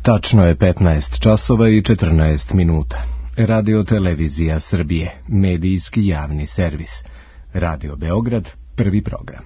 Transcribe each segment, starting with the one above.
Tačno je 15 časova i 14 minuta. Radio Televizija Srbije, medijski javni servis. Radio Beograd, prvi program.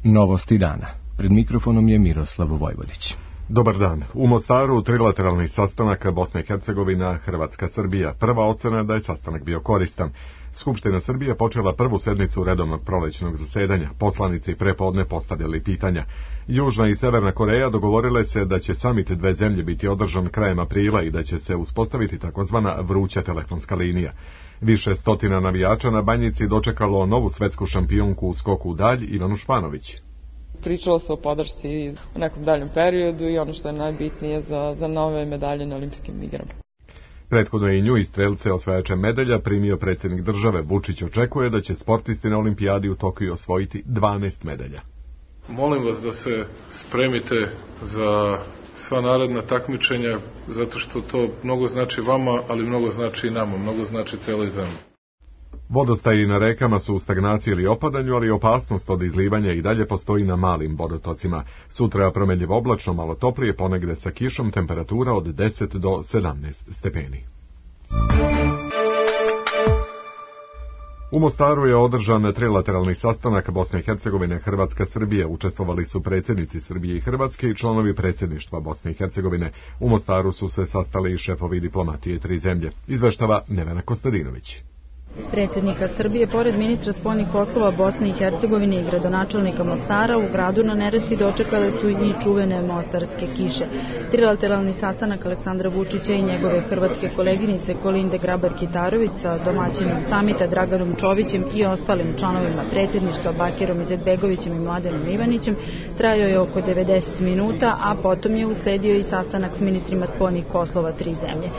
Novosti dana. Pred mikrofonom je Miroslav Vojvodić. Dobar dan. U Mostaru trilateralni sastanak Bosna i Hercegovina, Hrvatska, Srbija. Prva ocena da je sastanak bio koristan. Skupština Srbije počela prvu sednicu redovnog prolećnog zasedanja. Poslanici prepodne postavljali pitanja. Južna i Severna Koreja dogovorile se da će samit dve zemlje biti održan krajem aprila i da će se uspostaviti takozvana vruća telefonska linija. Više stotina navijača na Banjici dočekalo novu svetsku šampionku u skoku u dalj Ivanu Španović. Pričalo se o podršci u nekom daljem periodu i ono što je najbitnije za nove medalje na olimpijskim igrama. Prethodno je i nju i strelce osvajače medalja primio predsjednik države. Vučić očekuje da će sportisti na olimpijadi u Tokiju osvojiti 12 medalja. Molim vas da se spremite za sva naredna takmičenja, zato što to mnogo znači vama, ali mnogo znači i nama, mnogo znači celoj zemlji. Vodostaji na rekama su u stagnaciji ili opadanju, ali opasnost od izlivanja i dalje postoji na malim vodotocima. Sutra promenljivo oblačno, malo toplije, ponegde sa kišom, temperatura od 10 do 17 stepeni. U Mostaru je održan trilateralni sastanak Bosne i Hercegovine, Hrvatska, Srbije. Učestvovali su predsjednici Srbije i Hrvatske i članovi predsjedništva Bosne i Hercegovine. U Mostaru su se sastali i šefovi diplomatije tri zemlje. Izveštava Nevena Kostadinović. Predsjednika Srbije, pored ministra spoljnih poslova Bosne i Hercegovine i gradonačelnika Mostara, u gradu na Neretvi dočekale su i čuvene mostarske kiše. Trilateralni sastanak Aleksandra Vučića i njegove hrvatske koleginice Kolinde Grabar-Kitarović sa domaćinom samita Draganom Čovićem i ostalim članovima predsjedništva Bakirom Izetbegovićem i Mladenom Ivanićem trajao je oko 90 minuta, a potom je usledio i sastanak s ministrima spoljnih poslova tri zemlje.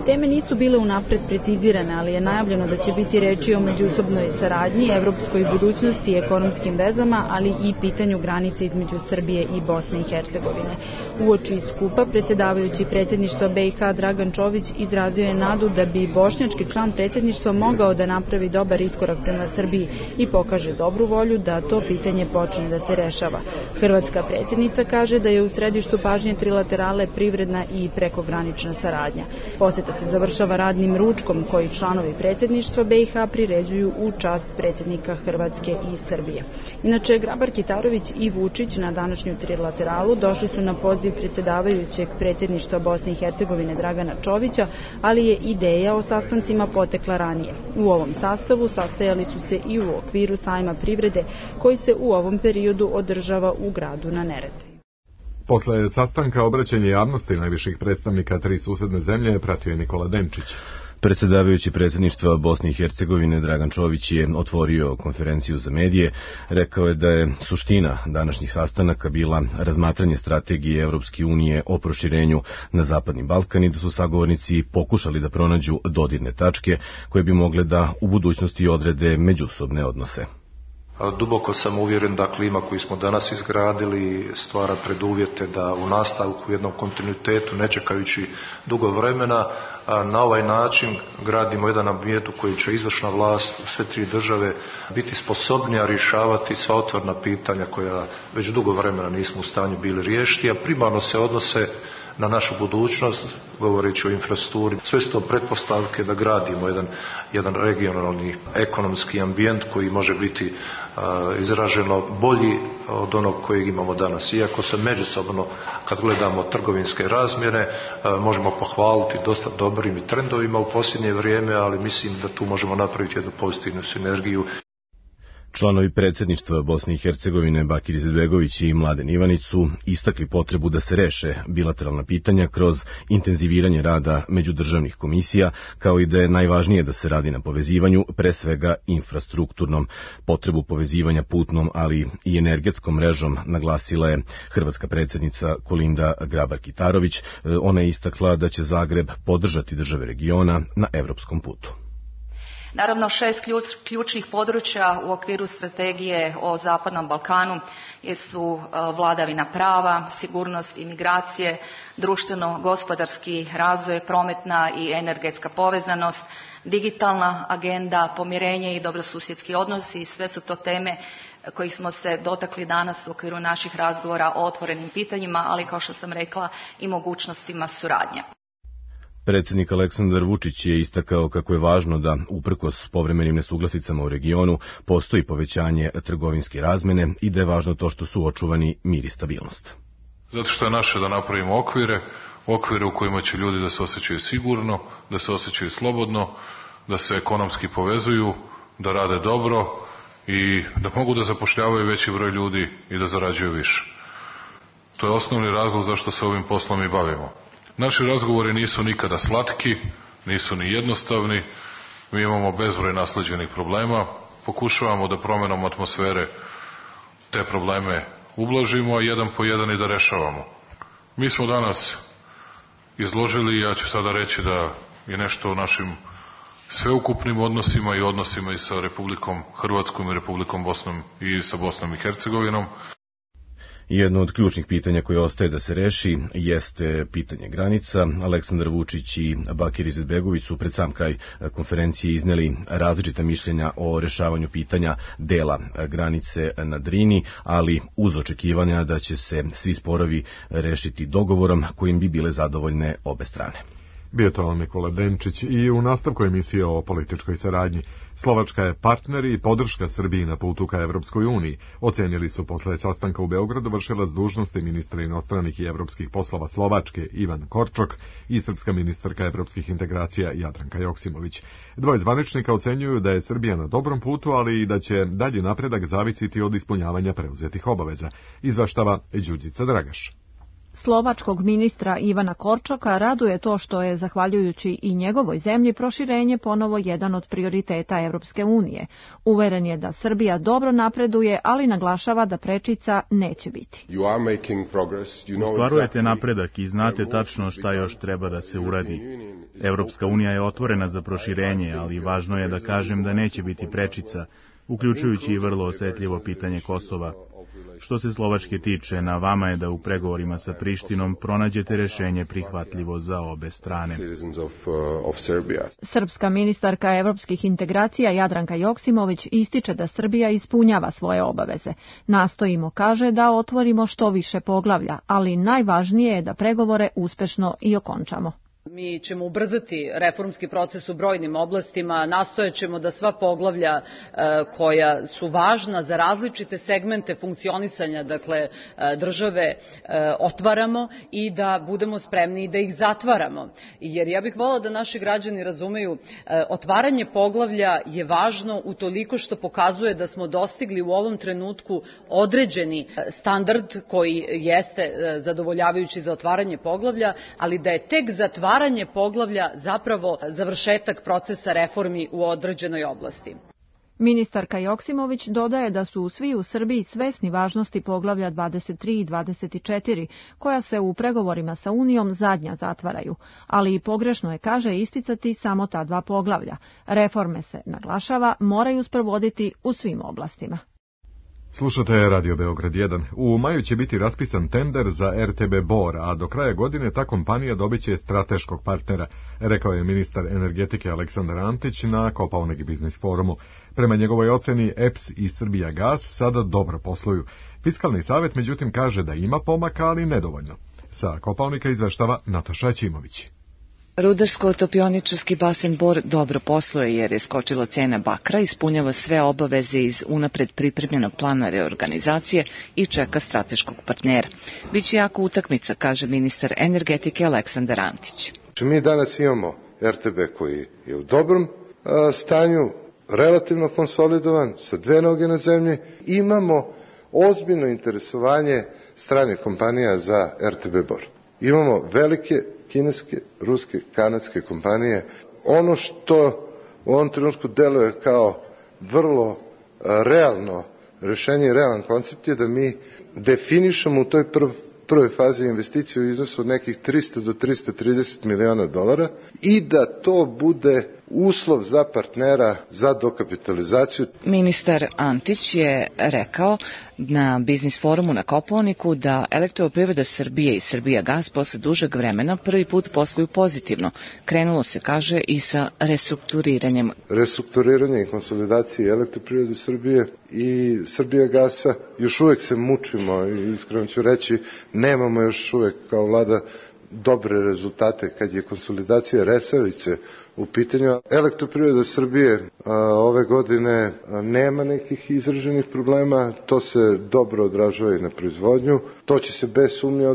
Teme nisu bile unapred precizirane, ali je najavljeno da će biti reči o međusobnoj saradnji, evropskoj budućnosti i ekonomskim vezama, ali i pitanju granice između Srbije i Bosne i Hercegovine. Uoči skupa predsjedavajući predsjedništva BiH Dragan Čović izrazio je nadu da bi bošnjački član predsjedništva mogao da napravi dobar iskorak prema Srbiji i pokaže dobru volju da to pitanje počne da se rešava. Hrvatska predsjednica kaže da je u središtu pažnje trilaterale privredna i prekogranična saradnja. Poseta se završava radnim ručkom koji članovi predsjedništva BiH priređuju u čast predsjednika Hrvatske i Srbije. Inače, Grabar-Kitarović i Vučić na današnju trilateralu došli su na poziv predsjedavajućeg predsjedništva Bosne i Hercegovine Dragana Čovića, ali je ideja o sastancima potekla ranije. U ovom sastavu sastajali su se i u okviru sajma privrede koji se u ovom periodu održava u gradu na Neretvi. Posle sastanka obraćanje javnosti najviših predstavnika tri susedne zemlje pratio je Nikola Denčić. Predsjedavajući predsjedništva Bosne i Hercegovine Dragan Čović je otvorio konferenciju za medije. Rekao je da je suština današnjih sastanaka bila razmatranje strategije Evropske unije o proširenju na Zapadni Balkan i da su sagovornici pokušali da pronađu dodirne tačke koje bi mogle da u budućnosti odrede međusobne odnose. Duboko sam uvjeren da klima koju smo danas izgradili stvara preduvjete da u nastavku u jednom kontinuitetu, ne čekajući dugo vremena, na ovaj način gradimo jedan ambijent u koji će izvršna vlast u sve tri države biti sposobnija rješavati sva otvorena pitanja koja već dugo vremena nismo u stanju bili riješiti, a primarno se odnose na našu budućnost, govoreći o infrastrukturi. Sve su to pretpostavke da gradimo jedan regionalni ekonomski ambijent koji može biti izraženo bolji od onog kojeg imamo danas. Iako se međusobno, kad gledamo trgovinske razmjere, možemo pohvaliti dosta dobrim i trendovima u posljednje vrijeme, ali mislim da tu možemo napraviti jednu pozitivnu sinergiju. Članovi predsjedništva Bosne i Hercegovine Bakir Izetbegović i Mladen Ivanić su istakli potrebu da se reše bilateralna pitanja kroz intenziviranje rada međudržavnih komisija, kao i da je najvažnije da se radi na povezivanju, pre svega infrastrukturnom. Potrebu povezivanja putnom, ali i energetskom mrežom naglasila je hrvatska predsjednica Kolinda Grabar-Kitarović. Ona je istakla da će Zagreb podržati države regiona na evropskom putu. Naravno, 6 ključnih područja u okviru strategije o Zapadnom Balkanu su vladavina prava, sigurnost i migracije, društveno-gospodarski razvoj, prometna i energetska povezanost, digitalna agenda, pomirenje i dobrosusjedski odnosi i sve su to teme kojih smo se dotakli danas u okviru naših razgovora o otvorenim pitanjima, ali kao što sam rekla i mogućnostima suradnje. Predsjednik Aleksandar Vučić je istakao kako je važno da, uprkos povremenim nesuglasicama u regionu, postoji povećanje trgovinske razmene i da je važno to što su očuvani mir i stabilnost. Zato što je naše da napravimo okvire u kojima će ljudi da se osjećaju sigurno, da se osjećaju slobodno, da se ekonomski povezuju, da rade dobro i da mogu da zapošljavaju veći broj ljudi i da zarađuju više. To je osnovni razlog zašto se ovim poslom i bavimo. Naši razgovori nisu nikada slatki, nisu ni jednostavni, mi imamo bezbroj nasleđenih problema, pokušavamo da promenom atmosfere te probleme ublažimo, a jedan po jedan i da rešavamo. Mi smo danas izložili, ja ću sada reći da je nešto o našim sveukupnim odnosima i odnosima i sa Republikom Hrvatskom i Republikom Bosnom i sa Bosnom i Hercegovinom. Jedno od ključnih pitanja koje ostaje da se reši jeste pitanje granica. Aleksandar Vučić i Bakir Izetbegović su pred sam kraj konferencije izneli različita mišljenja o rešavanju pitanja dela granice na Drini, ali uz očekivanja da će se svi sporovi rešiti dogovorom kojim bi bile zadovoljne obe strane. Bio to Nikola Denčić i u nastavku emisije o političkoj saradnji. Slovačka je partner i podrška Srbiji na putu ka Evropskoj uniji. Ocenili su posle sastanka u Beogradu vršilac dužnosti ministra inostranih i evropskih poslova Slovačke Ivan Korčok i srpska ministarka evropskih integracija Jadranka Joksimović. Dvoje zvaničnika ocenjuju da je Srbija na dobrom putu, ali i da će dalji napredak zavisiti od ispunjavanja preuzetih obaveza. Izveštava Đurđica Dragaš. Slovačkog ministra Ivana Korčoka raduje to što je, zahvaljujući i njegovoj zemlji, proširenje ponovo jedan od prioriteta Evropske unije. Uveren je da Srbija dobro napreduje, ali naglašava da prečica neće biti. Ostvarujete napredak i znate tačno šta još treba da se uradi. Evropska unija je otvorena za proširenje, ali važno je da kažem da neće biti prečica, uključujući i vrlo osetljivo pitanje Kosova. Što se Slovačke tiče, na vama je da u pregovorima sa Prištinom pronađete rešenje prihvatljivo za obe strane. Srpska ministarka evropskih integracija Jadranka Joksimović ističe da Srbija ispunjava svoje obaveze. Nastojimo, kaže, da otvorimo što više poglavlja, ali najvažnije je da pregovore uspešno i okončamo. Mi ćemo ubrzati reformski proces u brojnim oblastima, nastojaćemo da sva poglavlja koja su važna za različite segmente funkcionisanja, dakle države, otvaramo i da budemo spremni da ih zatvaramo. Jer ja bih voljela da naši građani razumeju, otvaranje poglavlja je važno utoliko što pokazuje da smo dostigli u ovom trenutku određeni standard koji jeste zadovoljavajući za otvaranje poglavlja, ali da je tek zatvaranje poglavlja zapravo završetak procesa reformi u određenoj oblasti. Ministarka Joksimović dodaje da su svi u Srbiji svesni važnosti poglavlja 23 i 24, koja se u pregovorima sa Unijom zadnja zatvaraju, ali i pogrešno je, kaže, isticati samo ta dva poglavlja. Reforme se, naglašava, moraju sprovoditi u svim oblastima. Slušate Radio Beograd 1. U maju će biti raspisan tender za RTB Bor, a do kraja godine ta kompanija dobiće strateškog partnera, rekao je ministar energetike Aleksandar Antić na Kopaonik biznis forumu. Prema njegovoj oceni, EPS i Srbijagas sada dobro posluju. Fiskalni savjet, međutim, kaže da ima pomaka, ali nedovoljno. Sa Kopaonika izveštava Nataša Ćimović. Rudarsko-topioničarski basen Bor dobro posluje jer je skočila cena bakra, ispunjava sve obaveze iz unapred pripremljenog plana reorganizacije i čeka strateškog partnera. Biće jako utakmica, kaže ministar energetike Aleksandar Antić. Mi danas imamo RTB koji je u dobrom stanju, relativno konsolidovan, sa dve noge na zemlji. Imamo ozbiljno interesovanje stranih kompanija za RTB Bor. Imamo velike kineske, ruske, kanadske kompanije. Ono što u ovom trenutku deluje kao vrlo realno rešenje i realan koncept je da mi definišemo u toj prvoj fazi investiciju u iznosu od nekih 300 do 330 miliona dolara i da to bude uslov za partnera za dokapitalizaciju. Ministar Antić je rekao na Biznis forumu na Kopaoniku da Elektroprivreda Srbije i Srbijagas posle dužeg vremena prvi put posluju pozitivno. Krenulo se, kaže, i sa restrukturiranjem. Restrukturiranje i konsolidacije Elektroprivrede Srbije i Srbijagasa. Još uvek se mučimo i iskreno ću reći, nemamo još uvek kao vlada dobre rezultate kad je konsolidacija Resavice u pitanju. Elektroprivreda Srbije ove godine nema nekih izraženih problema, to se dobro odražava i na proizvodnju, to će se bez sumnje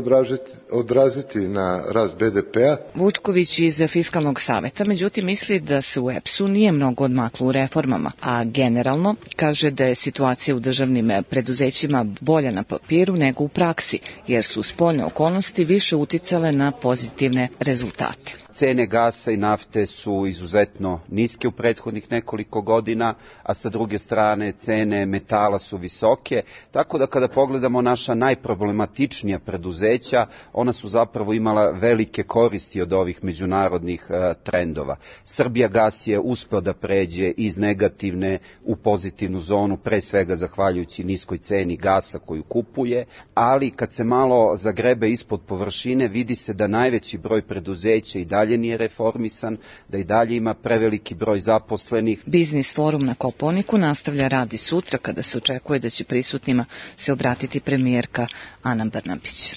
odraziti na rast BDP-a. Vučković iz Fiskalnog saveta, međutim, misli da se u EPS-u nije mnogo odmaklo u reformama, a generalno kaže da je situacija u državnim preduzećima bolja na papiru nego u praksi, jer su spoljne okolnosti više uticale na pozitivne rezultate. Cene gasa i nafte su izuzetno niske u prethodnih nekoliko godina, a sa druge strane cene metala su visoke, tako da kada pogledamo naša najproblematičnija preduzeća, ona su zapravo imala velike koristi od ovih međunarodnih trendova. Srbijagas je uspeo da pređe iz negativne u pozitivnu zonu, pre svega zahvaljujući niskoj ceni gasa koju kupuje, ali kad se malo zagrebe ispod površine, vidi se da najveći broj preduzeća i dalje nije reformisan, da i dalje ima preveliki broj zaposlenih. Biznis forum na Kopaoniku nastavlja rad i sutra, kada se očekuje da će prisutnima se obratiti premijerka Ana Brnabić.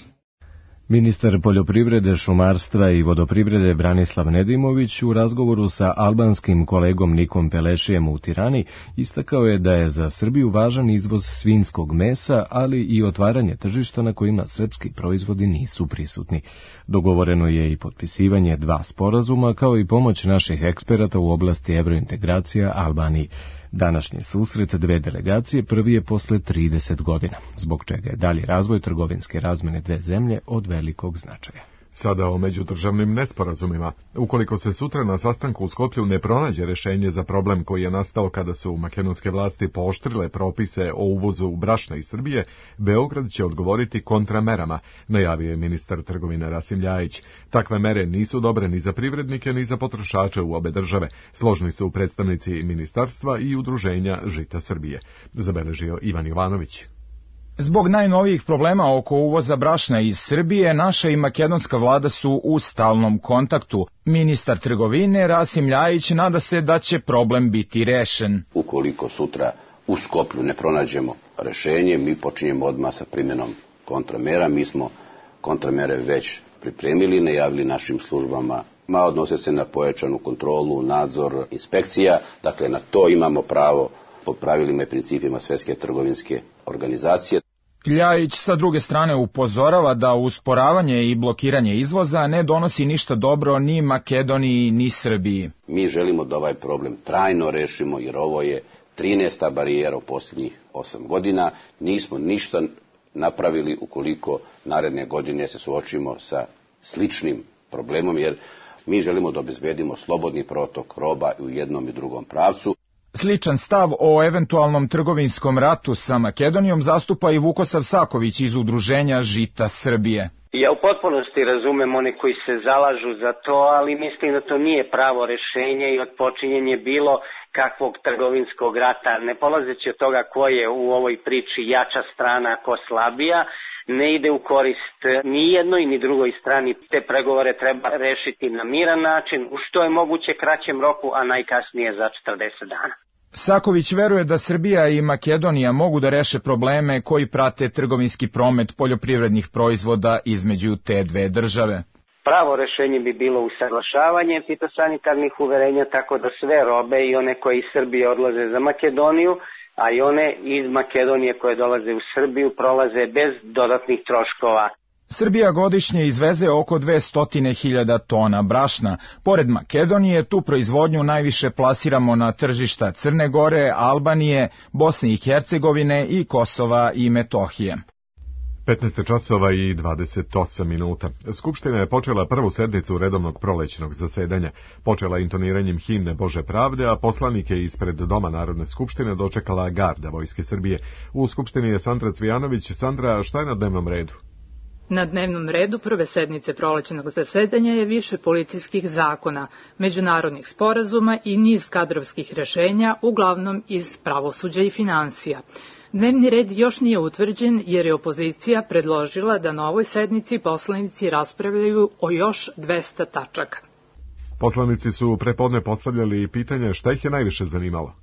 Ministar poljoprivrede, šumarstva i vodoprivrede Branislav Nedimović u razgovoru sa albanskim kolegom Nikom Pelešijem u Tirani istakao je da je za Srbiju važan izvoz svinjskog mesa, ali i otvaranje tržišta na kojima srpski proizvodi nisu prisutni. Dogovoreno je i potpisivanje 2 sporazuma, kao i pomoć naših eksperata u oblasti evrointegracija Albaniji. Današnji susret 2 delegacije prvi je posle 30 godina, zbog čega je dalji razvoj trgovinske razmene 2 zemlje od velikog značaja. Sada o međudržavnim nesporazumima. Ukoliko se sutra na sastanku u Skoplju ne pronađe rešenje za problem koji je nastao kada su makedonske vlasti pooštrile propise o uvozu brašna iz Srbije, Beograd će odgovoriti kontramerama, najavio je ministar trgovine Rasim Ljajić. Takve mere nisu dobre ni za privrednike ni za potrošače u obe države. Složni su predstavnici ministarstva i udruženja Žita Srbije, zabeležio Ivan Jovanović. Zbog najnovijih problema oko uvoza brašna iz Srbije, naša i makedonska vlada su u stalnom kontaktu. Ministar trgovine Rasim Ljajić nada se da će problem biti rešen. Ukoliko sutra u Skoplju ne pronađemo rešenje, mi počinjemo odmah sa primjenom kontramera. Mi smo kontramere već pripremili, najavili našim službama. Odnose se na pojačanu kontrolu, nadzor, inspekcija. Dakle, na to imamo pravo po pravilima i principima Svetske trgovinske organizacije. Ljajić sa druge strane upozorava da usporavanje i blokiranje izvoza ne donosi ništa dobro ni Makedoniji ni Srbiji. Mi želimo da ovaj problem trajno rešimo, jer ovo je 13. barijera u posljednjih 8 godina. Nismo ništa napravili ukoliko naredne godine se suočimo sa sličnim problemom, jer mi želimo da obezbedimo slobodni protok roba u jednom i drugom pravcu. Sličan stav o eventualnom trgovinskom ratu sa Makedonijom zastupa i Vukosav Saković iz udruženja Žita Srbije. Ja u potpunosti razumem one koji se zalažu za to, ali mislim da to nije pravo rešenje i odpočinjenje bilo kakvog trgovinskog rata. Ne polazeći od toga ko je u ovoj priči jača strana, ko slabija, ne ide u korist ni jednoj ni drugoj strani. Te pregovore treba rešiti na miran način, u što je moguće kraćem roku, a najkasnije za 40 dana. Saković veruje da Srbija i Makedonija mogu da reše probleme koji prate trgovinski promet poljoprivrednih proizvoda između te 2 države. Pravo rešenje bi bilo usaglašavanje fitosanitarnih uverenja, tako da sve robe i one koje iz Srbije odlaze za Makedoniju, a i one iz Makedonije koje dolaze u Srbiju prolaze bez dodatnih troškova. Srbija godišnje izveze oko 200.000 tona brašna. Pored Makedonije, tu proizvodnju najviše plasiramo na tržišta Crne Gore, Albanije, Bosne i Hercegovine i Kosova i Metohije. 15 časova i 28 minuta. Skupština je počela prvu sednicu redovnog prolećnog zasedanja. Počela intoniranjem himne Bože pravde, a poslanike ispred Doma Narodne skupštine dočekala garda Vojske Srbije. U Skupštini je Sandra Cvijanović. Sandra, šta je na dnevnom redu? Na dnevnom redu prve sednice prolećnog zasedanja je više policijskih zakona, međunarodnih sporazuma i niz kadrovskih rešenja, uglavnom iz pravosuđa i finansija. Dnevni red još nije utvrđen jer je opozicija predložila da na ovoj sednici poslanici raspravljaju o još 200 tačaka. Poslanici su prepodne postavljali pitanje šta ih je najviše zanimalo.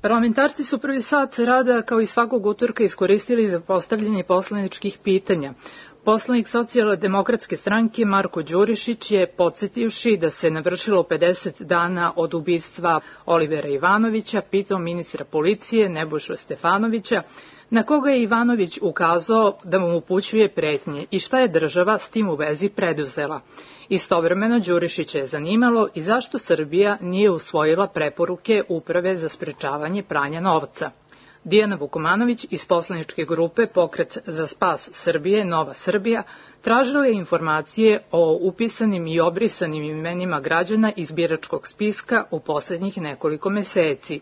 Parlamentarci su prvi sat rada kao i svakog utorka iskoristili za postavljanje poslaničkih pitanja. Poslanik Socijaldemokratske stranke Marko Đurišić je, podsjetivši da se navršilo 50 dana od ubistva Olivera Ivanovića, pitao ministra policije Nebojšu Stefanovića, na koga je Ivanović ukazao da mu upućuje pretnje i šta je država s tim u vezi preduzela. Istovremeno Đurišića je zanimalo i zašto Srbija nije usvojila preporuke Uprave za sprečavanje pranja novca. Dijana Vukomanović iz poslaničke grupe Pokret za spas Srbije, Nova Srbija, tražila je informacije o upisanim i obrisanim imenima građana iz biračkog spiska u poslednjih nekoliko meseci.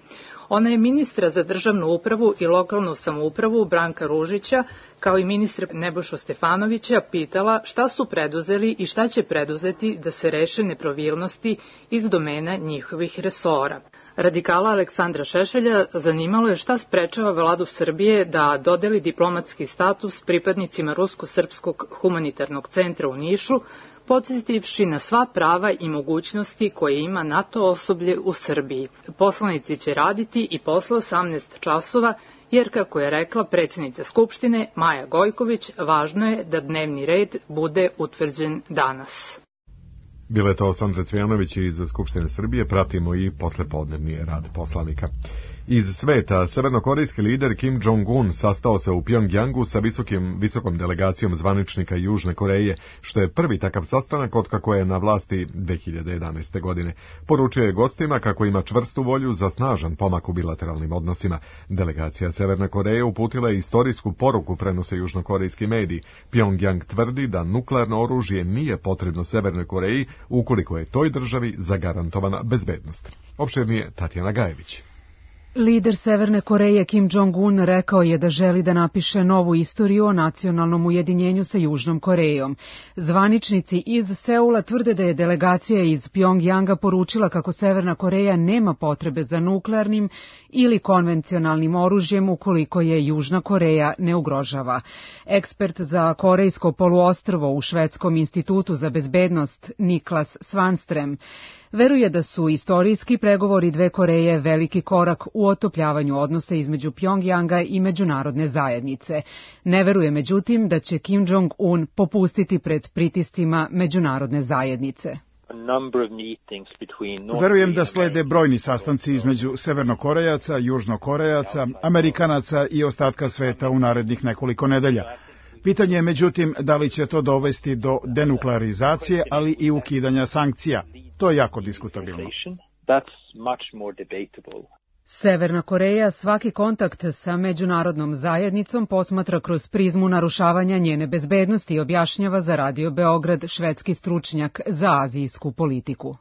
Ona je ministra za državnu upravu i lokalnu samoupravu Branka Ružića, kao i ministra Nebojšu Stefanovića, pitala šta su preduzeli i šta će preduzeti da se reše nepravilnosti iz domena njihovih resora. Radikala Aleksandra Šešelja zanimalo je šta sprečava vladu Srbije da dodeli diplomatski status pripadnicima Rusko-srpskog humanitarnog centra u Nišu, podsjetivši na sva prava i mogućnosti koje ima NATO osoblje u Srbiji. Poslanici će raditi i posle 18 časova, jer, kako je rekla predsjednica Skupštine Maja Gojković, važno je da dnevni red bude utvrđen danas. Bila je to Sandra Cvijanović iz Skupštine Srbije, pratimo i poslepodnevni rad poslanika. Iz sveta, severnokorejski lider Kim Jong-un sastao se u Pjongjangu sa visokom delegacijom zvaničnika Južne Koreje, što je prvi takav sastanak otkako je na vlasti 2011. godine. Poručio je gostima kako ima čvrstu volju za snažan pomak u bilateralnim odnosima. Delegacija Severne Koreje uputila je istorijsku poruku, prenose južnokorejski mediji. Pjongjang tvrdi da nuklearno oružje nije potrebno Severnoj Koreji ukoliko je toj državi zagarantovana bezbednost. Opširnije Tatjana Gajević. Lider Severne Koreje Kim Jong-un rekao je da želi da napiše novu istoriju o nacionalnom ujedinjenju sa Južnom Korejom. Zvaničnici iz Seula tvrde da je delegacija iz Pjongjanga poručila kako Severna Koreja nema potrebe za nuklearnim ili konvencionalnim oružjem ukoliko je Južna Koreja ne ugrožava. Ekspert za Korejsko poluostrvo u Švedskom institutu za bezbednost Niklas Svanström veruje da su istorijski pregovori dve Koreje veliki korak u otopljavanju odnosa između Pjongjanga i međunarodne zajednice. Ne veruje međutim da će Kim Jong-un popustiti pred pritiscima međunarodne zajednice. Verujem da slede brojni sastanci između Severnokorejaca, Južnokorejaca, Amerikanaca i ostatka sveta u narednih nekoliko nedelja. Pitanje je međutim da li će to dovesti do denuklearizacije, ali i ukidanja sankcija. To je jako diskutabilno. Severna Koreja svaki kontakt sa međunarodnom zajednicom posmatra kroz prizmu narušavanja njene bezbednosti, objašnjava za Radio Beograd švedski stručnjak za azijsku politiku.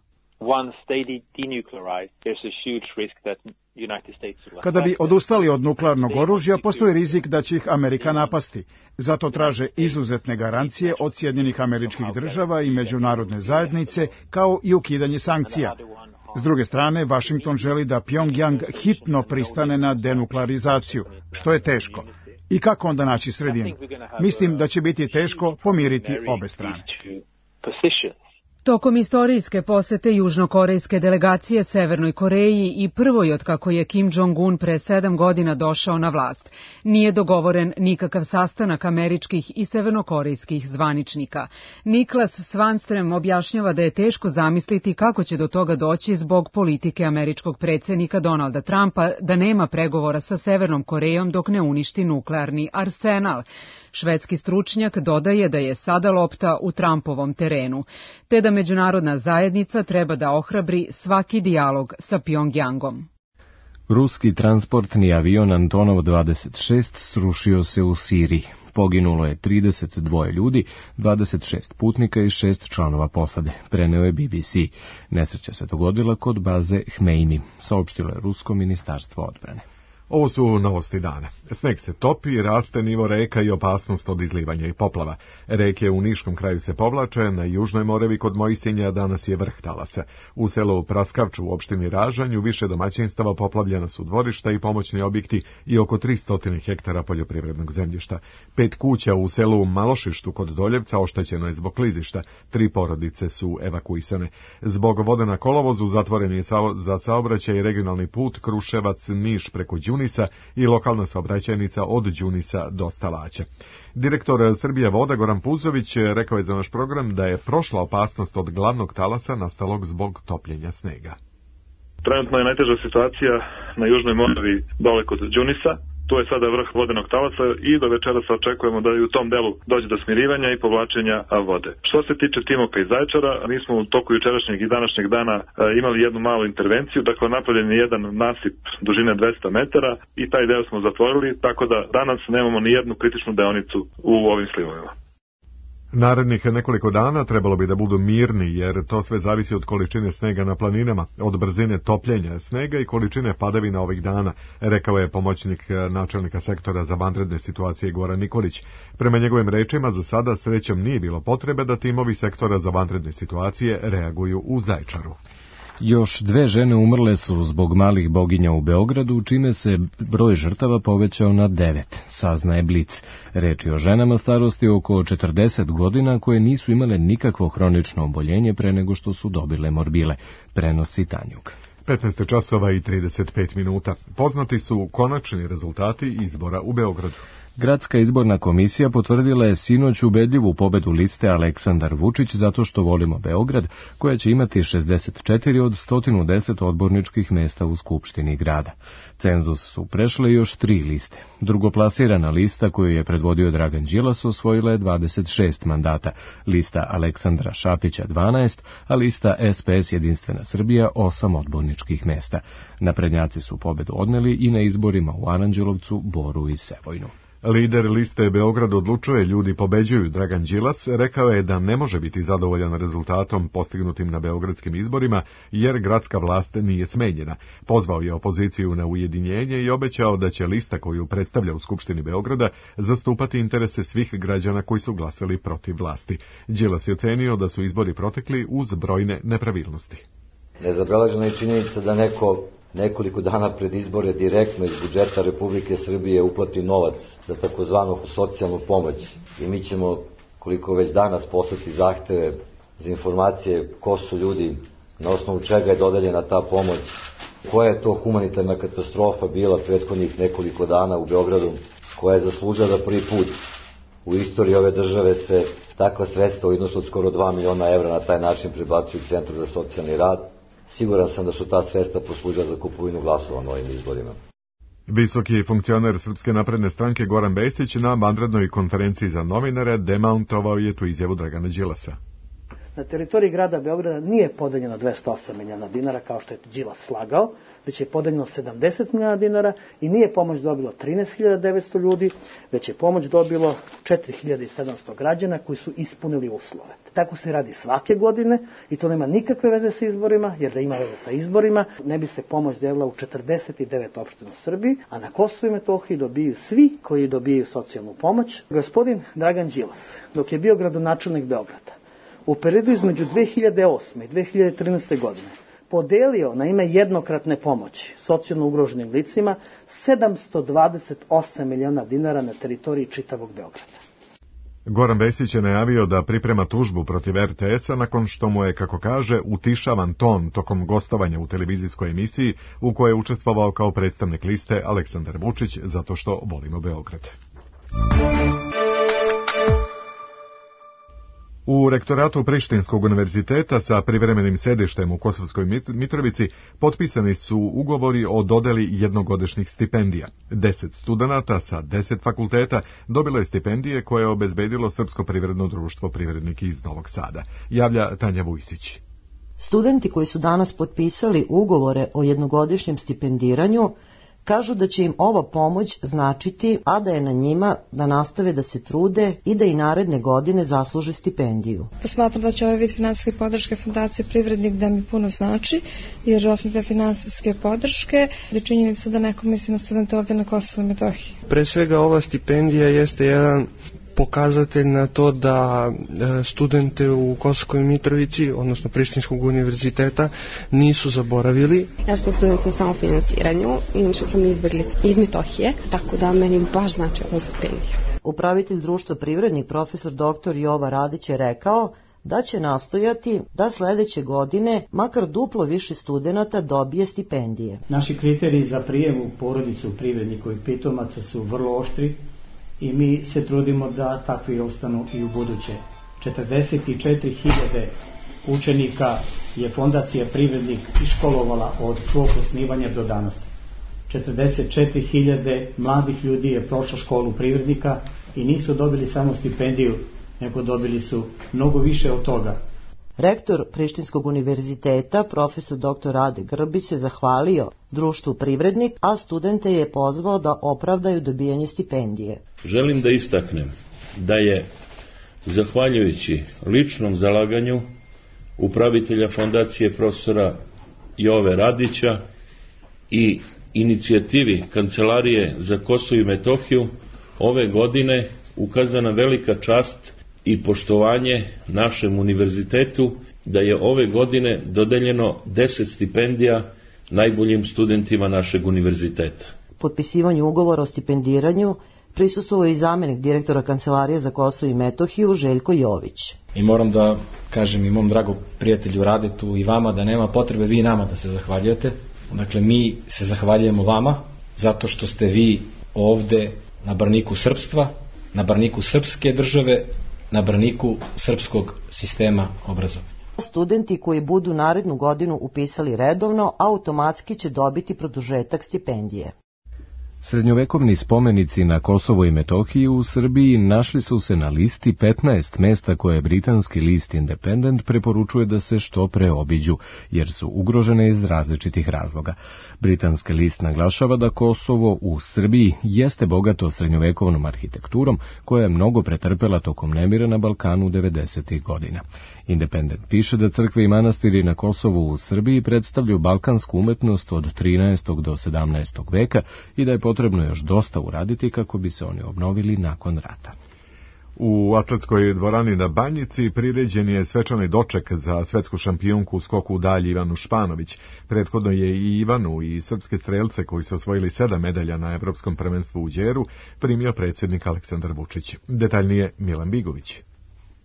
Kada bi odustali od nuklearnog oružja, postoji rizik da će ih Amerika napasti. Zato traže izuzetne garancije od Sjedinjenih Američkih Država i međunarodne zajednice, kao i ukidanje sankcija. S druge strane, Vašington želi da Pjongjang hitno pristane na denuklearizaciju, što je teško. I kako onda naći sredinu? Mislim da će biti teško pomiriti obe strane. Tokom istorijske posete južnokorejske delegacije Severnoj Koreji i prvoj od kako je Kim Jong-un pre 7 godina došao na vlast, nije dogovoren nikakav sastanak američkih i severnokorejskih zvaničnika. Niklas Svanström objašnjava da je teško zamisliti kako će do toga doći zbog politike američkog predsjednika Donalda Trumpa da nema pregovora sa Severnom Korejom dok ne uništi nuklearni arsenal. Švedski stručnjak dodaje da je sada lopta u Trumpovom terenu, te da međunarodna zajednica treba da ohrabri svaki dijalog sa Pjongjangom. Ruski transportni avion Antonov 26 srušio se u Siriji. Poginulo je 32 ljudi, 26 putnika i 6 članova posade, preneo je BBC. Nesreća se dogodila kod baze Hmeini, saopštilo je Rusko ministarstvo odbrane. Ovo su novosti dana. Sneg se topi, raste nivo reka i opasnost od izlivanja i poplava. Reke u Niškom kraju se povlače, na Južnoj Moravi kod Mojsinja danas je vrh talasa. U selu Praskavču u opštini Ražanj u više domaćinstava poplavljena su dvorišta i pomoćni objekti i oko 300 hektara poljoprivrednog zemljišta. 5 kuća u selu Malošištu kod Doljevca oštećeno je zbog klizišta. 3 porodice su evakuisane. Zbog vode na kolovozu zatvoren je za saobraćaj regionalni put Kruševac-Niš preko Đunisa i lokalna saobraćajnica od Đunisa do Stalaća. Direktor Srbija voda Goran Puzović rekao je za naš program da je prošla opasnost od glavnog talasa nastalog zbog topljenja snega. Trenutno je najteža situacija na Južnoj Moravi dole kod Đunisa. Tu je sada vrh vodenog talasa i do večera se očekujemo da i u tom delu dođe do smirivanja i povlačenja vode. Što se tiče Timoka i Zaječara, mi smo u toku jučerašnjeg i današnjeg dana imali jednu malu intervenciju, dakle napravljen je jedan nasip dužine 200 metara i taj deo smo zatvorili, tako da danas nemamo ni jednu kritičnu deonicu u ovim slivovima. Narednih nekoliko dana trebalo bi da budu mirni, jer to sve zavisi od količine snega na planinama, od brzine topljenja snega i količine padavina ovih dana, rekao je pomoćnik načelnika sektora za vanredne situacije Goran Nikolić. Prema njegovim rečima, za sada srećom nije bilo potrebe da timovi sektora za vanredne situacije reaguju u Zaječaru. Još 2 žene umrle su zbog malih boginja u Beogradu, čime se broj žrtava povećao na 9, saznaje Blic. Reč je o ženama starosti oko 40 godina koje nisu imale nikakvo hronično oboljenje pre nego što su dobile morbile, prenosi Tanjug. 15 časova i 35 minuta. Poznati su konačni rezultati izbora u Beogradu. Gradska izborna komisija potvrdila je sinoć ubedljivu pobedu liste Aleksandar Vučić zato što volimo Beograd, koja će imati 64 od 110 odborničkih mesta u Skupštini grada. Cenzus su prešle još 3 liste. Drugoplasirana lista koju je predvodio Dragan Đilas osvojila je 26 mandata, lista Aleksandra Šapića 12, a lista SPS Jedinstvena Srbija 8 odborničkih mesta. Naprednjaci su pobedu odneli i na izborima u Aranđelovcu, Boru i Sevojnu. Lider liste Beograd odlučuje, ljudi pobeđuju. Dragan Đilas rekao je da ne može biti zadovoljan rezultatom postignutim na beogradskim izborima, jer gradska vlast nije smenjena. Pozvao je opoziciju na ujedinjenje i obećao da će lista koju predstavlja u Skupštini Beograda zastupati interese svih građana koji su glasali protiv vlasti. Đilas je ocenio da su izbori protekli uz brojne nepravilnosti. Nezabeležena je činjenica da nekoliko dana pred izbore direktno iz budžeta Republike Srbije uplati novac za takozvanu socijalnu pomoć i mi ćemo, koliko već danas, poslati zahteve za informacije ko su ljudi, na osnovu čega je dodeljena ta pomoć, koja je to humanitarna katastrofa bila prethodnih nekoliko dana u Beogradu, koja je zaslužila da prvi put u istoriji ove države se takva sredstva u iznosu od skoro 2 miliona evra na taj način prebacuju u Centru za socijalni rad. Siguran sam da su ta sredstva poslužila za kupovinu glasova na ovim izborima. Visoki funkcioner Srpske napredne stranke Goran Vesić na vanrednoj konferenciji za novinare demantovao je tu izjavu Dragana Đilasa. Na teritoriji grada Beograda nije podeljeno 208 miliona dinara, kao što je Đilas slagao, već je podeljeno 70 miliona dinara i nije pomoć dobilo 13.900 ljudi, već je pomoć dobilo 4.700 građana koji su ispunili uslove. Tako se radi svake godine i to nema nikakve veze sa izborima, jer da ima veze sa izborima ne bi se pomoć delila u 49 opština u Srbiji, a na Kosovu i Metohiji dobiju svi koji dobijaju socijalnu pomoć. Gospodin Dragan Đilas, dok je bio gradonačelnik Beograda, u periodu između 2008. i 2013. godine podelio na ime jednokratne pomoći socijalno ugroženim licima 728 miliona dinara na teritoriji čitavog Beograda. Goran Vesić je najavio da priprema tužbu protiv RTS-a nakon što mu je, kako kaže, utišavan ton tokom gostovanja u televizijskoj emisiji u kojoj je učestvovao kao predstavnik liste Aleksandar Vučić zato što volimo Beograd. U rektoratu Prištinskog univerziteta sa privremenim sedištem u Kosovskoj Mitrovici potpisani su ugovori o dodeli jednogodišnjih stipendija. 10 studenata sa 10 fakulteta dobilo je stipendije koje je obezbedilo Srpsko privredno društvo Privrednik iz Novog Sada. Javlja Tanja Vujsić. Studenti koji su danas potpisali ugovore o jednogodišnjem stipendiranju Kažu da će im ova pomoć značiti, a da je na njima da nastave da se trude i da i naredne godine zasluže stipendiju. Smatram da će ovaj vid finansijske podrške Fondacije Privrednik da mi puno znači, jer osim te finansijske podrške je činjenica da neko misli na studente ovde na Kosovu i Metohiji. Pre svega ova stipendija jeste jedan pokazatelj na to da studente u Kosovskoj Mitrovici, odnosno Prištinskog univerziteta, nisu zaboravili. Ja sam student na samofinansiranju, inače sam izbjeglica iz Metohije, tako da meni baš znači ova stipendija. Upravitelj društva Privrednik, profesor dr. Jova Radić je rekao da će nastojati da sledeće godine makar duplo više studenata dobije stipendije. Naši kriteriji za prijem u porodicu privrednikovih pitomaca su vrlo oštri i mi se trudimo da takvi ostanu i u buduće. 44.000 učenika je Fondacija Privrednik iškolovala od svog osnivanja do danas. 44.000 mladih ljudi je prošlo školu privrednika i nisu dobili samo stipendiju, nego dobili su mnogo više od toga. Rektor Prištinskog univerziteta, profesor dr. Rade Grbić, se zahvalio društvu Privrednik, a studente je pozvao da opravdaju dobijanje stipendije. Želim da istaknem da je, zahvaljujući ličnom zalaganju upravitelja fondacije profesora Jove Radića i inicijativi Kancelarije za Kosovo i Metohiju, ove godine ukazana velika čast i poštovanje našem univerzitetu, da je ove godine dodeljeno 10 stipendija najboljim studentima našeg univerziteta. Potpisivanju ugovora o stipendiranju prisustvovao je i zamenik direktora Kancelarije za Kosovo i Metohiju Željko Jović. I moram da kažem i mom dragom prijatelju Radetu i vama da nema potrebe vi nama da se zahvaljujete. Dakle, mi se zahvaljujemo vama zato što ste vi ovde na braniku srpstva, na braniku srpske države, na braniku srpskog sistema obrazovanja. Studenti koji budu narednu godinu upisali redovno, automatski će dobiti produžetak stipendije. Srednjovekovni spomenici na Kosovo i Metohiji u Srbiji našli su se na listi 15 mesta koje britanski list Independent preporučuje da se što pre obiđu, jer su ugrožene iz različitih razloga. Britanski list naglašava da Kosovo u Srbiji jeste bogato srednjovekovnom arhitekturom koja je mnogo pretrpela tokom nemira na Balkanu 90. godina. Independent piše da crkve i manastiri na Kosovu u Srbiji predstavljaju balkansku umetnost od 13. do 17. veka i da je potrebno još dosta uraditi kako bi se oni obnovili nakon rata. U atletskoj dvorani na Banjici priređen je svečani doček za svetsku šampionku u skoku u dalj Ivanu Španović. Prethodno je i Ivanu i srpske strelce koji su osvojili 7 medalja na Evropskom prvenstvu u Đeru primio predsjednik Aleksandar Vučić. Detaljnije Milan Bigović.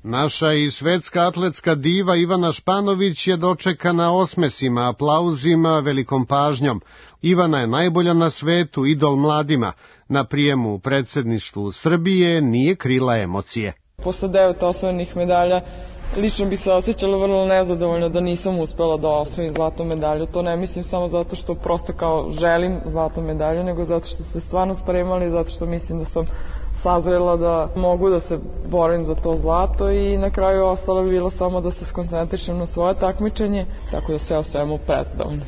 Naša i svetska atletska diva Ivana Španović je dočekana osmesima, aplauzima, velikom pažnjom. Ivana je najbolja na svetu, idol mladima. Na prijemu u predsjedništvu Srbije nije krila emocije. Posle 9 osvojenih medalja lično bi se osjećala vrlo nezadovoljno da nisam uspela da osvojim zlatnu medalju. To ne mislim samo zato što prosto kao želim zlatnu medalju, nego zato što se stvarno spremali, zato što mislim da sam sazrela da mogu da se borim za to zlato i na kraju ostalo bi bilo samo da se skoncentrišem na svoje takmičenje, tako da sve o svemu prezadovoljna.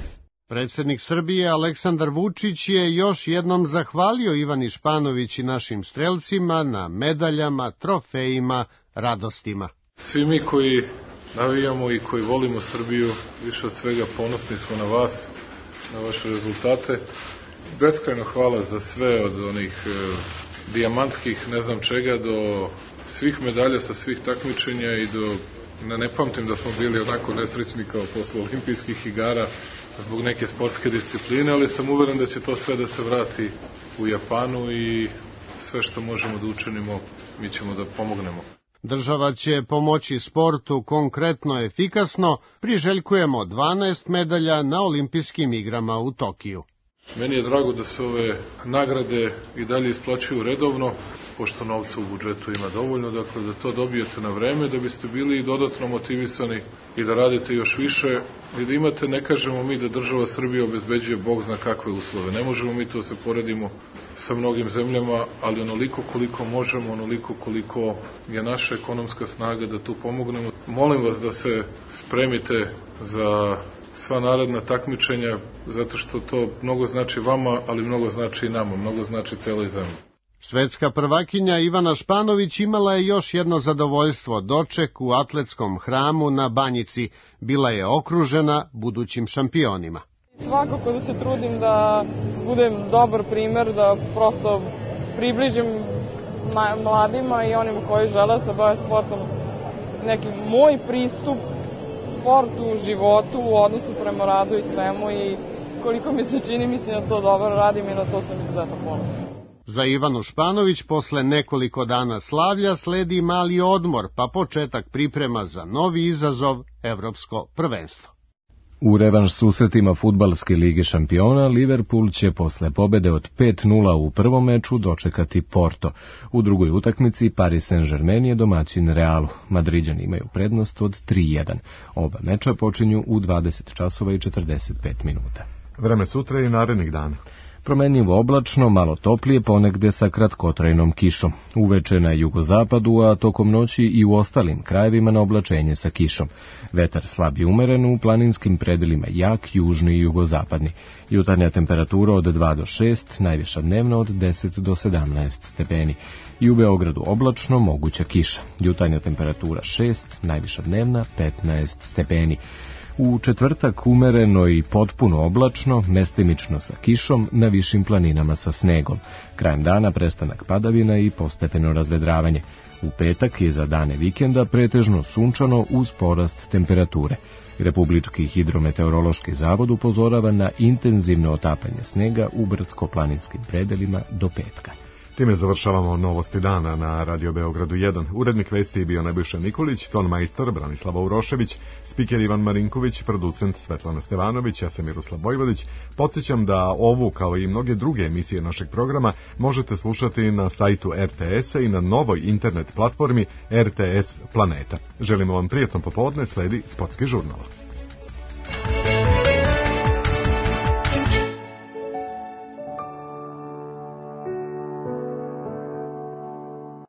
Predsjednik Srbije Aleksandar Vučić je još jednom zahvalio Ivani Španović i našim strelcima na medaljama, trofejima, radostima. Svi mi koji navijamo i koji volimo Srbiju, više od svega ponosni smo na vas, na vaše rezultate. Beskrajno hvala za sve od onih dijamantskih ne znam čega do svih medalja sa svih takmičenja i do, ne pamtim da smo bili onako nesrećni kao posle olimpijskih igara zbog neke sportske discipline, ali sam uveren da će to sve da se vrati u Japanu i sve što možemo da učinimo mi ćemo da pomognemo. Država će pomoći sportu konkretno efikasno, priželjkujemo 12 medalja na olimpijskim igrama u Tokiju. Meni je drago da se ove nagrade i dalje isplaćuju redovno, pošto novca u budžetu ima dovoljno, dakle da to dobijete na vreme, da biste bili dodatno motivisani i da radite još više i da imate, ne kažemo mi da država Srbija obezbeđuje Bog zna kakve uslove. Ne možemo mi to se poredimo sa mnogim zemljama, ali onoliko koliko možemo, onoliko koliko je naša ekonomska snaga da tu pomognemo. Molim vas da se spremite za sva naredna takmičenja, zato što to mnogo znači vama, ali mnogo znači i nama, mnogo znači celoj zemlji. Svetska prvakinja Ivana Španović imala je još jedno zadovoljstvo, doček u atletskom hramu na Banjici. Bila je okružena budućim šampionima. Svakako da se trudim da budem dobar primer, da prosto približim mladima i onima koji žele se bave sportom neki moj pristup sportu, životu, u odnosu prema radu i svemu i koliko mi se čini, mislim da to dobro radim i na to sam izuzetno ponosna. Za Ivanu Španović posle nekoliko dana slavlja sledi mali odmor, pa početak priprema za novi izazov, evropsko prvenstvo. U revanš susretima fudbalske lige šampiona, Liverpool će posle pobede od 5:0 u prvom meču dočekati Porto. U drugoj utakmici Paris Saint-Germain je domaćin Realu. Madriđani imaju prednost od 3:1. Oba meča počinju u 20:45. Vreme sutra i narednih dana. Promenljivo oblačno, malo toplije, ponegde sa kratkotrajnom kišom. Uveče na jugozapadu, a tokom noći i u ostalim krajevima na oblačenje sa kišom. Vetar slab i umeren, u planinskim predelima jak, južni i jugozapadni. Jutarnja temperatura od 2 do 6, najviša dnevna od 10 do 17 stepeni. I u Beogradu oblačno, moguća kiša. Jutarnja temperatura 6, najviša dnevna 15 stepeni. U četvrtak umereno i potpuno oblačno, mestimično sa kišom, na višim planinama sa snegom. Krajem dana prestanak padavina i postepeno razvedravanje. U petak je za dane vikenda pretežno sunčano uz porast temperature. Republički hidrometeorološki zavod upozorava na intenzivno otapanje snega u brdsko-planinskim predelima do petka. Time završavamo novosti dana na Radio Beogradu 1. Urednik vesti je bio Nebojša Nikolić, ton majstor Branislava Urošević, spiker Ivan Marinković, producent Svetlana Stevanović, ja sam Miroslav Vojvodić. Podsjećam da ovu, kao i mnoge druge emisije našeg programa, možete slušati na sajtu RTS-a i na novoj internet platformi RTS Planeta. Želimo vam prijatno popodne, sledi Sportski žurnal.